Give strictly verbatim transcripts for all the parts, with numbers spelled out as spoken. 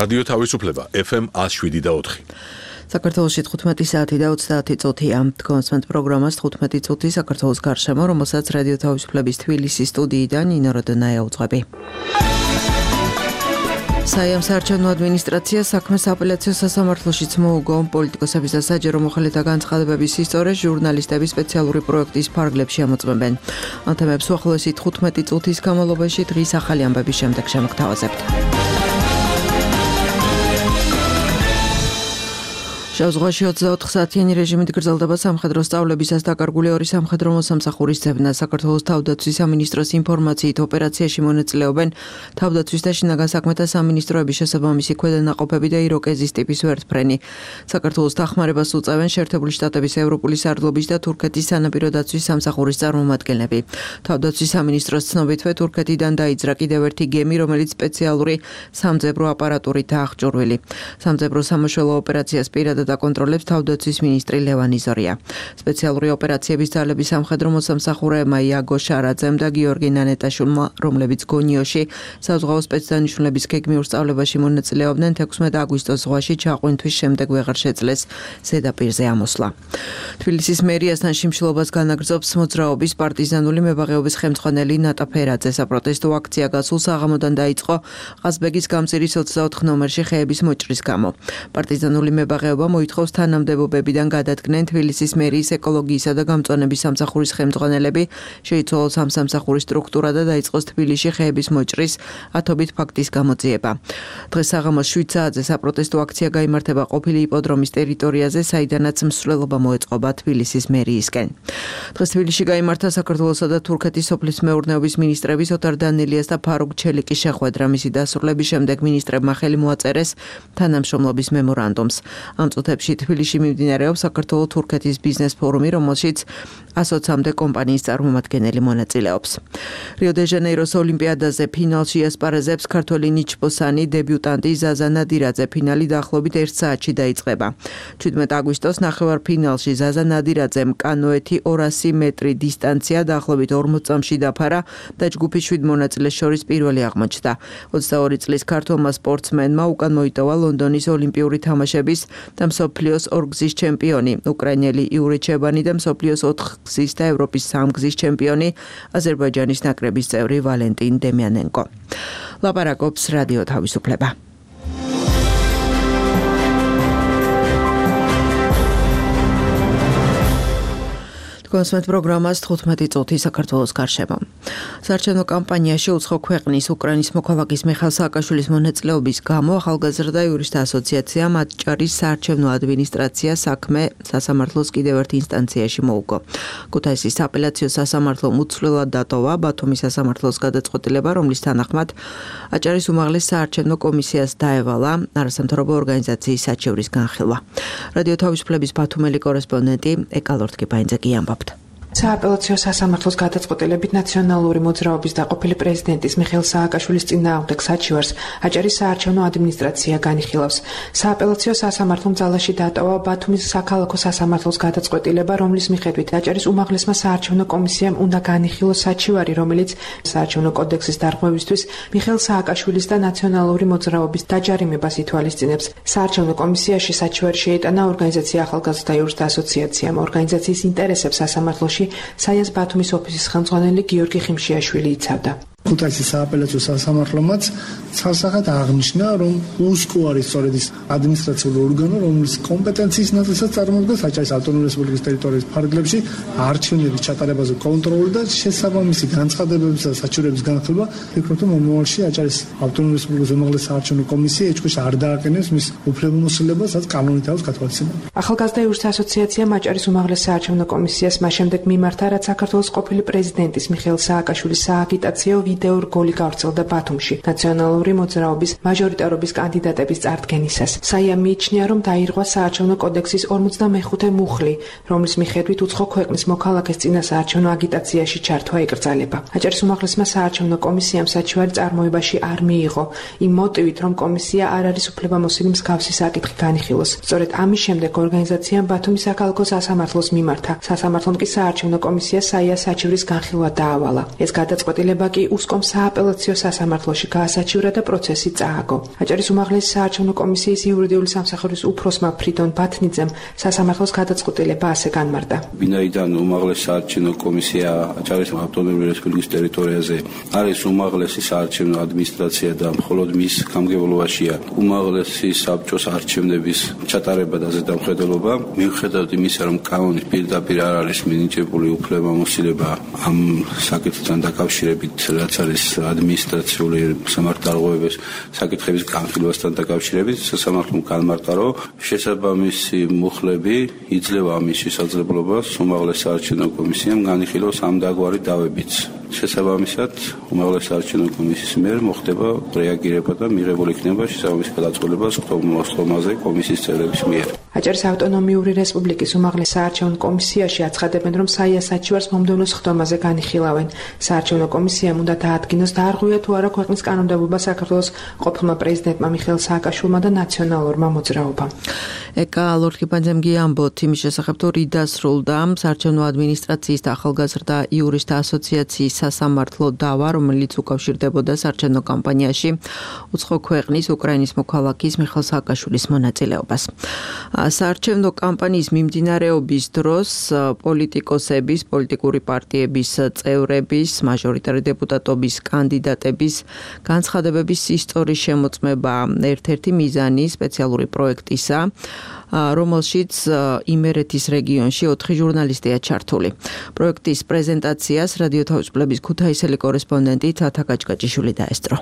რადიო თავისუფლება ეფ ემ one oh seven და four. საქართველოში თხუთმეტი საათი და ოცდაათი წუთია. კონსმენტ პროგრამას თხუთმეტი წუთი საქართველოს გარშემო, რომელსაც რადიო თავისუფლების თბილისის სტუდიიდან ნინო როდონაია უძღვები. საიამ საარჩევნო ადმინისტრაცია საქმეს აპელაციო სასამართლოშიც მოუგო. პოლიტიკოსების და საჯარო მოხელეთა განცხადებების ისტორიას ჟურნალისტების სპეციალური პროექტის ფარგლებში ამოწმებენ. ამ თემებს უახლოესი თხუთმეტი წუთის განმავლობაში დღის ახალი ამბების შემდეგ შემოგთავაზებთ. შავ ზღვაში ოცდაოთხ საათიანი რეჟიმით გრძელდება სამხედრო სწავლებისას დაკარგული ორი სამხედრო მოსამსახურის ძებნა. საქართველოს თავდაცვის სამინისტროს ინფორმაციით ოპერაციაში მონაწილეობენ თავდაცვის და შინაგან საქმეთა სამინისტროების შესაბამისი ქვედანაყოფები და იროკეზის ტიპის ვერტმფრენი. საქართველოს დახმარებას უწევენ შეერთებული შტატების ევროპული სარდლობის და თურქეთის სანაპირო დაცვის სამსახურის წარმომადგენლები. თავდაცვის სამინისტროს ცნობითვე თურქეთიდან დაიძრა კიდევ ერთი გემი, რომელიც სპეციალური სამძებრო აპარატურით აღჭურვილი. სამძებრო სამაშველო ოპერაციას პირადად აკონტროლებს თავდაცვის მინისტრი ლევან იზორია. სპეციალური ოპერაციების ძალების სამხედრო მოსამსახურეებმა იაგო შარაძემ და გიორგი ნანეტაშვილმა, რომლებიც გონიოში საზღვაო სპეცდანიშნულების გეგმიურ სწავლებაში მონაწილეობდნენ, თექვსმეტ აგვისტოს ზღვაში ჩაყვინთვის შემდეგ ვეღარ შეძლეს ზედაპირზე ამოსვლა. თბილისის მერიასთან შიმშილობას განაგრძობს მოძრაობის პარტიზანული მებაღეობის ხელმძღვანელი ნატა ფერაძე. საპროტესტო აქცია გასულ საღამოდან დაიწყო ყაზბეგის გამზირის ოცდაოთხ ნომერში ხეების მოჭრის გამო. პარტიზანული მებაღეობა მოითხოვს თანამდებობებიდან გადადგნენ თბილისის მერიის ეკოლოგიისა და გამწვანების სამსახურის ხელმძღვანელები, შეიცვალოს ამ სამსახურის სტრუქტურა და დაიწყოს თბილისში ხეების მოჭრის ათობით ფაქტის გამოძიება. დღეს საღამოს შვიდ საათზე საპროტესტო აქცია გაიმართება ყოფილი იპოდრომის ტერიტორიაზე, საიდანაც მსვლელობა მოეწყობა თბილისის მერიისკენ. დღეს თბილისში გაიმართა საქართველოსა და თურქეთის სოფლის მეურნეობის მინისტრების ოტარ დანილიას და ფარუგ ჩელიკის შეხვედრა. მისი დასრულების შემდეგ მინისტრებმა ხელი მოაწერეს თანამშრომლობის მემორანდუმს. ამ წუთებში თბილისში მიმდინარეობს საქართველო-თურქეთის ბიზნეს ფორუმი, რომელშიც ასოცამდე კომპანიის წარმომადგენელი მონაწილეობს. რიო-დე-ჟანეიროს ოლიმპიადაზე ფინალში ასპარეზებს ქართველი ნიჩბოსანი დებიუტანტი ზაზა ნადირაძე. ფინალი დაახლოებით ერთ საათში დაიწყება. ჩვიდმეტ აგვისტოს ნახევარფინალში ზაზა ნადირაძემ კანოეთი ორასი მეტრი დისტანცია დაახლოებით ორმოც წამში დაფარა და ჯგუფის შვიდ მონაწილეს შორის პირველი აღმოჩნდა. ოცდაორი წლის ქართველმა სპორტსმენმა უკან მოიტოვა ლონდონის ოლიმპიური თამაშების და მსოფლიოს ორგზის ჩემპიონი უკრაინელი იური ჩებანი და მსოფლიოს ოთხგზის და ევროპის სამგზის ჩემპიონი აზერბაიჯანის ნაკრების წევრი ვალენტინ დემიანენკო. ლაპარაკობს რადიო თავისუფლება. კონსმენტ პროგრამას თხუთმეტი წუთი საქართველოს გარშემო. საარჩევნო კამპანიაში უცხო ქვეყნის უკრაინის მოქალაქის მიხეილ სააკაშვილის მონაწილეობის გამო ახალგაზრდა იურისტთა ასოციაცია მაჭარის საარჩევნო ადმინისტრაცია საქმე სასამართლოს კიდევ ერთ ინსტანციაში მოუგო. ქუთაისის აპელაციო სასამართლომ უცვლელად დატოვა ბათუმის სასამართლოს გადაწყვეტილება, რომლის თანახმად აჭარის უმაღლეს საარჩევნო კომისიას დაევალა არასამთავრობო ორგანიზაციის საჩევრის განხილვა. რადიო თავისუფლების ბათუმელი კორესპონდენტი ეკალორთკი-ბაინძე კი ამბობს. სააპელაციო სასამართლოს გადაწყვეტილებით ნაციონალური მოძრაობის და ყოფილი პრეზიდენტის მიხეილ სააკაშვილის წინააღმდეგ საჩივარს აჭარის საარჩევნო ადმინისტრაცია განიხილავს. სააპელაციო სასამართლომ ძალაში დატოვა ბათუმის საქალაქო სასამართლოს გადაწყვეტილება, რომლის მიხედვით აჭარის უმაღლესმა საარჩევნო კომისიამ უნდა განიხილოს საჩივარი, რომელიც საარჩევნო კოდექსის დარღვევისთვის მიხეილ სააკაშვილის და ნაციონალური მოძრაობის დაჯარიმებას ითვალისწინებს. საარჩევნო კომისიაში საჩივარი შეიტანა ორგანიზაცია ახალგაზრდა იურისტთა ასოციაციამ. ორგანიზაციის ინტერესებს სასამართლოში საიას ბათუმის ოფისის ხელმძღვანელი გიორგი ხიმშიაშვილი იცავდა. ქუთაისის სააპელაციო სასამართლომაც ცალსახად აღნიშნა, რომ უსკო არის სწორედ ის ადმინისტრაციული ორგანო, რომლის კომპეტენციის ნაწილსაც წარმოადგენს აჭარის ავტონომიური რესპუბლიკის ტერიტორიის ფარგლებში არჩევნების ჩატარებაზე კონტროლი და შესაბამისი განცხადებების და საჩივრების განხილვა. ვფიქრობ, რომ მომავალში აჭარის ავტონომიური რესპუბლიკის უმაღლესი საარჩევნო კომისია ეჭვქვეშ არ დააკენებს მის უფლებამოსილებას, რაც კანონით აქვს გათვალისწინებული. ახალგაზრდა იურისტთა ასოციაციამ აჭარის უმაღლეს საარჩევნო კომისიას მას შემდეგ მიმართა, რაც საქართველოს ყოფილი პრეზიდენტის მიხეილ სააკაშვილის სააგიტაციო ვიდეო რგოლი გავრცელდა ბათუმში ნაციონალური მოძრაობის მაჟორიტარობის კანდიდატების წარდგენისას. საიამ მიიჩნია, რომ დაირღვა საარჩევნო კოდექსის ორმოცდამეხუთე მუხლი, რომლის მიხედვით უცხო ქვეყნის მოქალაქეს წინა საარჩევნო აგიტაციაში ჩართვა ეკრძალება. აჭარის უმაღლესმა საარჩევნო კომისიამ საჩივარი წარმოებაში არ მიიღო, იმ მოტივით, რომ კომისია არ არის უფლებამოსილი მსგავსი საკითხი განიხილოს. სწორედ ამის შემდეგ ორგანიზაციამ ბათუმის საქალაქო სასამართლოს მიმართა. სასამართლომ კი საარჩევნო კომისიას საიას საჩივრის განხილვა დაავალა. ეს გადაწყვეტილება კი უწყომ სააპელაციო სასამართლოში გაასაჩივრა და პროცესი წააგო. აჭარის უმაღლესი საარჩევნო კომისიის იურიდიული სამსახურის უფროსმა ფრიდონ ბათნიძემ სასამართლოს გადაწყვეტილება ასე განმარტა. ვინაიდან უმაღლესი საარჩევნო კომისია აჭარის ავტონომიური რესპუბლიკის ტერიტორიაზე არის უმაღლესი საარჩევნო ადმინისტრაცია და მხოლოდ მის გამგებლობაშია უმაღლესი საბჭოს არჩევნების ჩატარება და ზედამხედველობა, მიუხედავად იმისა, რომ კანონის პირდაპირ არ არის მინიჭებული უფლებამოსილება ამ საკითხთან დაკავშირებით, რაც არის ადმინისტრაციული სამართალდაღოების საკითხების განხილვასთან დაკავშირებით, სასამართლომ განმარტა, რომ შესაბამისი მუხლები იძლევა ამის შესაძლებლობას უმაღლეს საარჩევნო კომისიამ განიხილოს ამ დაგვარი დავებიც. შესაბამისად, უმაღლეს საარჩევნო კომისიის მიერ მოხდება რეაგირება და მიღებული იქნება შესაბამისი გადაწყვეტილება სხდომაზე კომისიის წევრების მიერ. აჭარის ავტონომიური რესპუბლიკის უმაღლეს საარჩევნო კომისიაში აცხადებენ, რომ საია საჩივარს მომდევნო სხდომაზე განიხილავენ. საარჩევნო კომისიამ უნდა დაადგინოს დაარღვია თუ არა ქვეყნის კანონმდებლობა საქართველოს ყოფილმა პრეზიდენტმა მიხეილ სააკაშვილმა და ნაციონალურმა მოძრაობამ. ეკა ლორთქიფანძემ გიამბოთ იმის შესახებ, თუ რით დასრულდა საარჩევნო ადმინისტრაციის და ახალგაზრდა იურისტთა ასოციაციის სასამართლო დავა, რომელიც უკავშირდებოდა საარჩევნო კამპანიაში უცხო ქვეყნის უკრაინის მოქალაქის მიხეილ სააკაშვილის მონაწილეობას. საარჩევნო კამპანიის მიმდინარეობის დროს პოლიტიკოსების, პოლიტიკური პარტიების წევრების, მაჟორიტარი დეპუტატობის კანდიდატების განცხადებების ისტორიის შემოწმება ერთ-ერთი მიზანი სპეციალური პროექტისა, რომელშიც იმერეთის რეგიონში ოთხი ჟურნალისტია ჩართული. პროექტის პრეზენტაციას რადიო თავისუფლების ქუთაისელი კორესპონდენტი თათა კაჭკაჭიშვილი დაესწრო.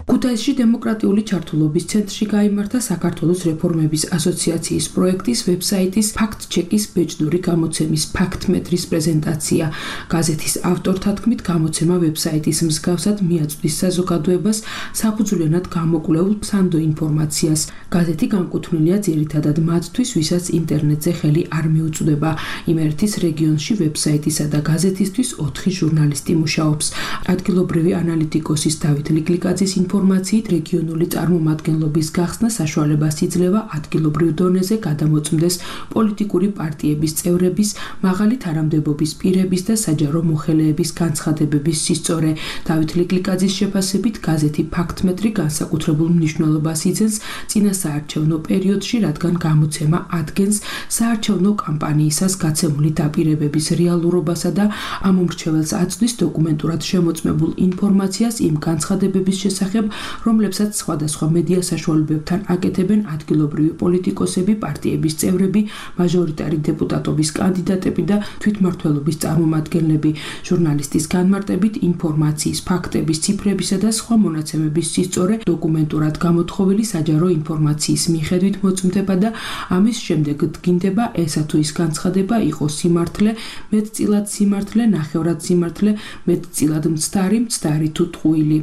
ქუთაისში დემოკრატიული ჩართულობის ცენტრში გაიმართა საქართველოს რეფორმების ასოციაციის პროექტის ვებსაიტის ფაქტ-ჩეკის ბეჭდური გამოცემის ფაქტ-მეტრის პრეზენტაცია. გაზეთის ავტორთა თქმით, გამოცემა ვებსაიტის მსგავსად მიაწვდის საზოგადოებას საფუძვლიანად გამოკვლეულ სანდო ინფორმაციას. გაზეთი განკუთვნილია ძირითადად მათთვის, ვისაც ინტერნეტზე ხელი არ მიუწვდება. იმერეთის რეგიონში ვებსაიტისა და გაზეთისთვის ოთხი ჟურნალისტი მუშაობს. ადგილობრივი ანალიტიკოსის დავით ლიკლიკაძის ინფორმაციით რეგიონული წარმომადგენლობის გახსნა საშუალებას იძლევა ადგილობრივ დონეზე გადამოწმდეს პოლიტიკური პარტიების წევრების, მაღალი თანამდებობის პირების და საჯარო მოხელეების განცხადებების სისწორე. დავით ლიკლიკაძის შეფასებით, გაზეთი ფაქტ-მეტრი განსაკუთრებულ მნიშვნელობას იძენს წინასაარჩევნო პერიოდში, რადგან გამოცემა ადგენს საარჩევნო კამპანიისას გაცემული დაპირებების რეალურობასა და ამ უმრჩეველს აწვდის დოკუმენტურად შემოწმებულ ინფორმაციას იმ განცხადებების შესახებ, რომლებსაც სხვადასხვა მედია საშუალებებთან აკეთებენ ადგილობრივი პოლიტიკოსები, პარტიების წევრები, მაჟორიტარი დეპუტატობის კანდიდატები და თვითმმართველობის წარმომადგენლები. ჟურნალისტის განმარტებით, ინფორმაციის, ფაქტების, ციფრებისა და სხვა მონაცემების სისწორე დოკუმენტურად გამოთხოვილი საჯარო ინფორმაციის მიხედვით მოწმდება და ამის შემდეგ დგინდება ესა თუ ის განცხადება იყოს სიმართლე, მეტწილად სიმართლე, ნახევრად სიმართლე, მეტწილად მცდარი, მცდარი თუ ტყუილი.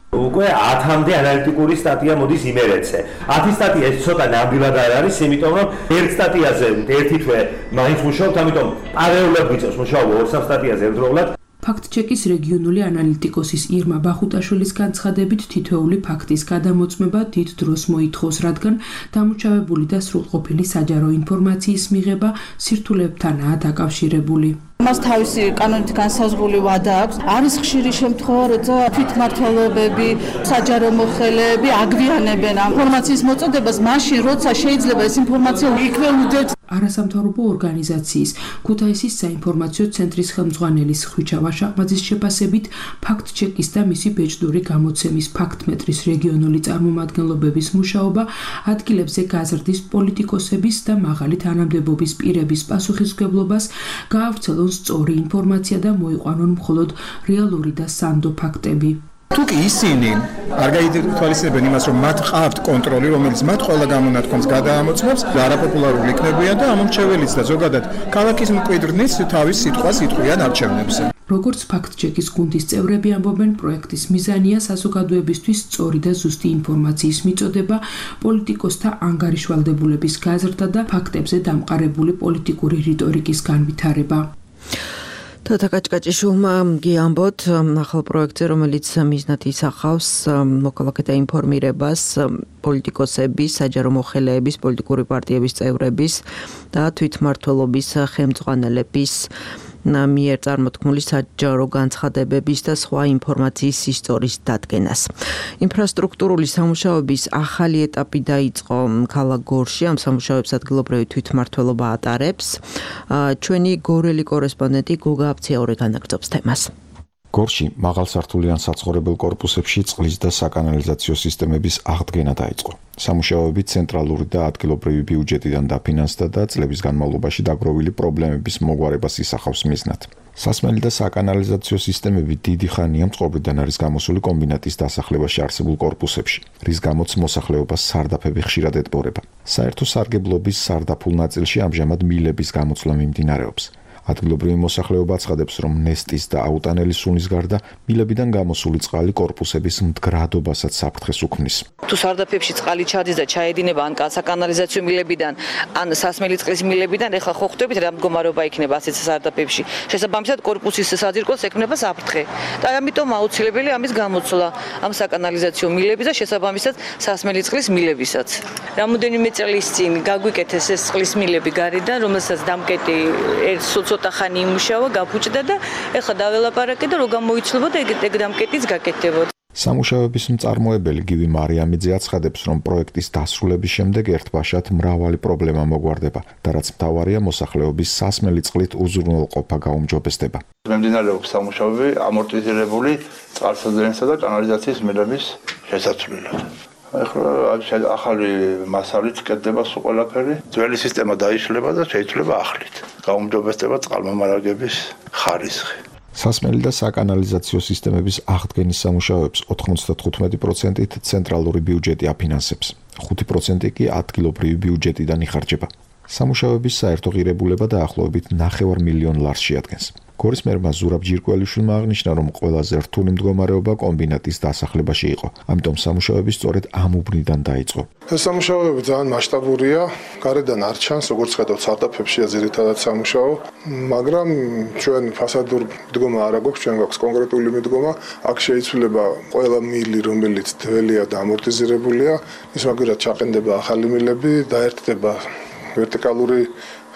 უკვე ათამდე ანალიტიკური სტატია მოდის იმერეთზე. ათი სტატია ეს ცოტა ნამდვილად არ არის, იმიტომ რომ ერთ სტატიაზე ერთი თვე მაინც მუშაობთ, ამიტომ პარალელურად ვიწევს მუშაობა ორ-სამ სტატიაზე ერთდროულად. ფაქტ-ჩეკის რეგიონული ანალიტიკოსის ირმა ბახუტაშვილის განცხადებით, თითოეული ფაქტის გადამოწმება დიდ დროს მოითხოვს, რადგან დამუშავებული და სრულყოფილი საჯარო ინფორმაციის მიღება სირთულებთანაა დაკავშირებული. მას თავისი კანონით განსაზღვრული ვადა აქვს. არის ხშირი შემთხვევა, როცა თვითმმართველობები, საჯარო მოხელეები აგვიანებენ ამ ინფორმაციის მოწოდებას, მაშინ როცა შეიძლება ეს ინფორმაცია იქვე უდევს. არასამთავრობო ორგანიზაციის ქუთაისის საინფორმაციო ცენტრის ხელმძღვანელის ხვიჩა ვაშაყმაძის შეფასებით, ფაქტ-ჩეკის და მისი ბეჭდური გამოცემის ფაქტ-მეტრის რეგიონული წარმომადგენლობების მუშაობა ადგილებზე გაზრდის პოლიტიკოსების და მაღალი თანამდებობის პირების პასუხისმგებლობას გაავრცელონ სწორი ინფორმაცია და მოიყვანონ მხოლოდ რეალური და სანდო ფაქტები. თუკი ისინი არ გაითვალისწინებენ იმას, რომ მათ ყავთ კონტროლი, რომელიც მათ ყველა გამონათქვამს გადაამოწმებს, არაპოპულარული იქნებიან და ამომრჩეველიც და ზოგადად ქალაქის მკვიდრნიც თავის სიტყვას იტყვიან არჩევნებზე. როგორც ფაქტ-ჩეკის გუნდის წევრები ამბობენ, პროექტის მიზანია საზოგადოებისთვის სწორი და ზუსტი ინფორმაციის მიწოდება, პოლიტიკოსთა ანგარიშვალდებულების გაზრდა და ფაქტებზე დამყარებული პოლიტიკური რიტორიკის განვითარება. თათა კაჭკაჭიშვილმა გიამბოთ ახალ პროექტზე, რომელიც მიზნად ისახავს მოქალაქეთა ინფორმირებას პოლიტიკოსების, საჯარო მოხელეების, პოლიტიკური პარტიების წევრების და თვითმმართველობის ხელმძღვანელების მიერ წარმოთქმული საჯარო განცხადებების და სხვა ინფორმაციის სისტორის დადგენას. ინფრასტრუქტურული სამუშაოების ახალი ეტაპი დაიწყო ქალაქ გორში, ამ სამუშაოებს ადგილობრივი თვითმმართველობა ატარებს. ჩვენი გორელი კორესპონდენტი გოგა აფციაური განაგრძობს თემას. გორში მაღალსართულიან საცხოვრებელ კორპუსებში წყლის და საკანალიზაციო სისტემების აღდგენა დაიწყო. სამუშაოები ცენტრალური და ადგილობრივი ბიუჯეტიდან დაფინანსდა და წლების განმავლობაში დაგროვილი პრობლემების მოგვარებას ისახავს მიზნად. სასმელი და საკანალიზაციო სისტემები დიდი ხანია მწყობრიდან არის გამოსული კომბინატის დასახლებაში არსებულ კორპუსებში, რის გამოც მოსახლეობას სარდაფები ხშირად ეტბორება. საერთო სარგებლობის სარდაფულ ნაწილში ამჟამად მილების გამოცვლა მიმდინარეობს. ადგილობრივი მოსახლეობა აცხადებს, რომ ნესტის და აუტანელი სუნის გარდა მილებიდან გამოსული წყალი კორპუსების მდგრადობასაც საფრთხეს უქმნის. თუ სარდაფებში წყალი ჩადის და ჩაედინება ან საკანალიზაციო მილებიდან, ან სასმელი წყლის მილებიდან, ეხლა ხო ხვდებით რა მდგომარეობა იქნება ასეთ სარდაფებში. შესაბამისად კორპუსის საძირკველს ექმნება საფრთხე. და ამიტომ აუცილებელი ამის გამოცვლა ამ საკანალიზაციო მილების და შესაბამისად სასმელი წყლის მილებისაც. რამოდენიმე წლის წინ გაგვიკეთეს ეს წყლის მილები გარედან, რომელსაც დამკეტი ერთ ცოტა ხანი იმუშავა, გაფუჭდა და ეხლა დაველაპარაკე და რო გამოიცლება და ეგ დამკეტიც გაკეთდებოდა. სამუშაოების მწარმოებელი გივი მარიამიძე აცხადებს, რომ პროექტის დასრულების შემდეგ ერთბაშად მრავალი პრობლემა მოგვარდება და რაც მთავარია, მოსახლეობის სასმელი წყლით უზრუნველყოფა გაუმჯობესდება. მიმდინარეობს სამუშაოები ამორტიზირებული წყალსადენისა და კანალიზაციის მილების შესაცვლელად. ახლა ახალი მასალით კეთდება სულ ყველაფერი. ძველი სისტემა დაიშლება და შეიცვლება ახლით. გაუმჯობესდება წყალმომარაგების ხარისხი. სასმელი და საკანალიზაციო სისტემების აღდგენის სამუშაოებს ოთხმოცდათხუთმეტი პროცენტით ცენტრალური ბიუჯეტი აფინანსებს, ხუთი პროცენტი კი ადგილობრივი ბიუჯეტიდან იხარჯება. სამუშაოების საერთო ღირებულება დაახლოებით ნახევარ მილიონ ლარს შეადგენს. გორის მერმა ზურაბ ჯირკველიშვილმა აღნიშნა, რომ ყველაზე რთული მდგომარეობა კომბინატის დასახლებაში იყო. ამიტომ სამუშაოები სწორედ ამ უბნიდან დაიწყო. ეს სამუშაოები ძალიან მასშტაბურია, გარედან არ ჩანს, როგორც ხედავთ, სარდაფებშია ძირითადად სამუშაო, მაგრამ ჩვენ ფასადურ მდგომა არ აქვს, ჩვენ გვაქვს კონკრეტული მიდგომა, აქ შეიცვლება ყველა მილი, რომელიც ძველია და ამორტიზირებულია, ის მაგერად ჩაყენდება ახალი მილები, დაერთდება ვერტიკალური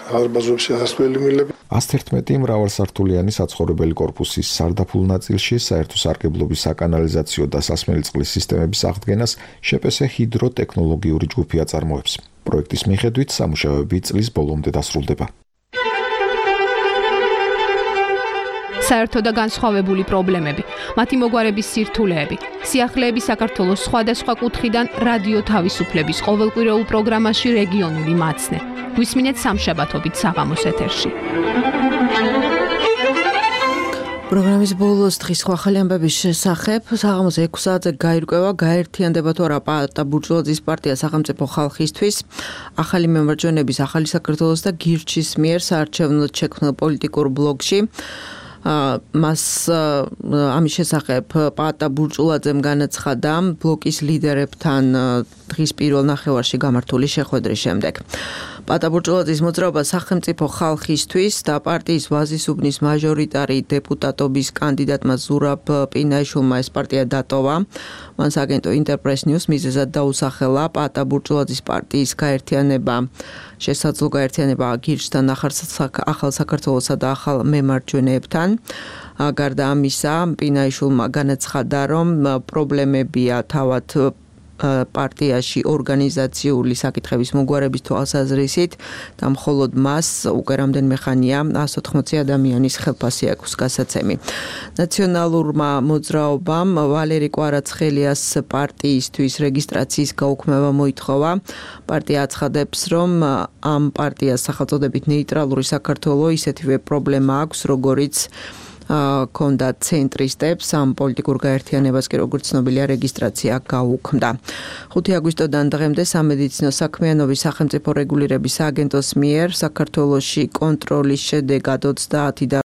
არბაზებში სასმელი მილები. ას ერთმეტი მრავალსართულიანი საცხოვრებელი კორპუსის სარდაფულ ნაწილში საერთო სარგებლობის საკანალიზაციო და სასმელი წყლის სისტემების აღდგენას შეპესე ჰიდროტექნოლოგიური ჯგუფი აწარმოებს. პროექტის მიხედვით სამუშაოები წლის ბოლომდე დასრულდება. საერთო და განსხვავებული პრობლემები, მათი მოგვარების სირთულეები, სიახლეები საქართველოს სხვადასხვა კუთხიდან რადიო თავისუფლების ყოველკვირეულ პროგრამაში რეგიონული მაცნე. გვისმინეთ სამშაბათობით საღამოს ეთერში. პროგრამის ბოლოს დღის სხვა ახალი ამბების შესახებ საღამოს ექვსი საათზე გაირკვევა, გაერთიანდება თუ არა პაატა ბურჟუაზიის პარტია სახელმწიფო ხალხისთვის, ახალი მემარჯვენების, ახალი საქართველოს და გირჩის მიერ საარჩევნოდ შექმნილ პოლიტიკურ ბლოკში. მას ამის შესახებ პაატა ბურჭულაძემ განაცხადა ბლოკის ლიდერებთან დღის პირველ ნახევარში გამართული შეხვედრის შემდეგ. პაატა ბურჭულაძის მოძრაობა სახელმწიფო ხალხისთვის და პარტიის ვაზის უბნის მაჟორიტარი დეპუტატობის კანდიდატმა ზურაბ პინაიშვილმა ეს პარტია დატოვა. მან სააგენტო ინტერპრეს ნიუს მიზეზად დაუსახელა პაატა ბურჭულაძის პარტიის გაერთიანება, შესაძლო გაერთიანება გირჩთან, ახალ საქართველოსა და ახალ მემარჯვენეებთან. გარდა ამისა, პინაიშვილმა განაცხადა, რომ პრობლემებია თავად პარტიაში ორგანიზაციული საკითხების მოგვარების თვალსაზრისით და მხოლოდ მას უკვე რამდენიმე ხანია ას ოთხმოცი ადამიანის ხელფასი აქვს გასაცემი. ნაციონალურმა მოძრაობამ ვალერი კვარაცხელიას პარტიისთვის რეგისტრაციის გაუქმება მოითხოვა. პარტია აცხადებს, რომ ამ პარტიას სახელწოდებით ნეიტრალური საქართველო ისეთივე პრობლემა აქვს, როგორიც კონდა ცენტრისტებს, ამ პოლიტიკურ გაერთიანებას კი როგორც ცნობილია რეგისტრაცია გაუქმდა. ხუთი აგვისტოდან დღემდე სამედიცინო საქმიანობის სახელმწიფო რეგულირების სააგენტოს მიერ საქართველოში კონტროლის შედეგად ოცდაათი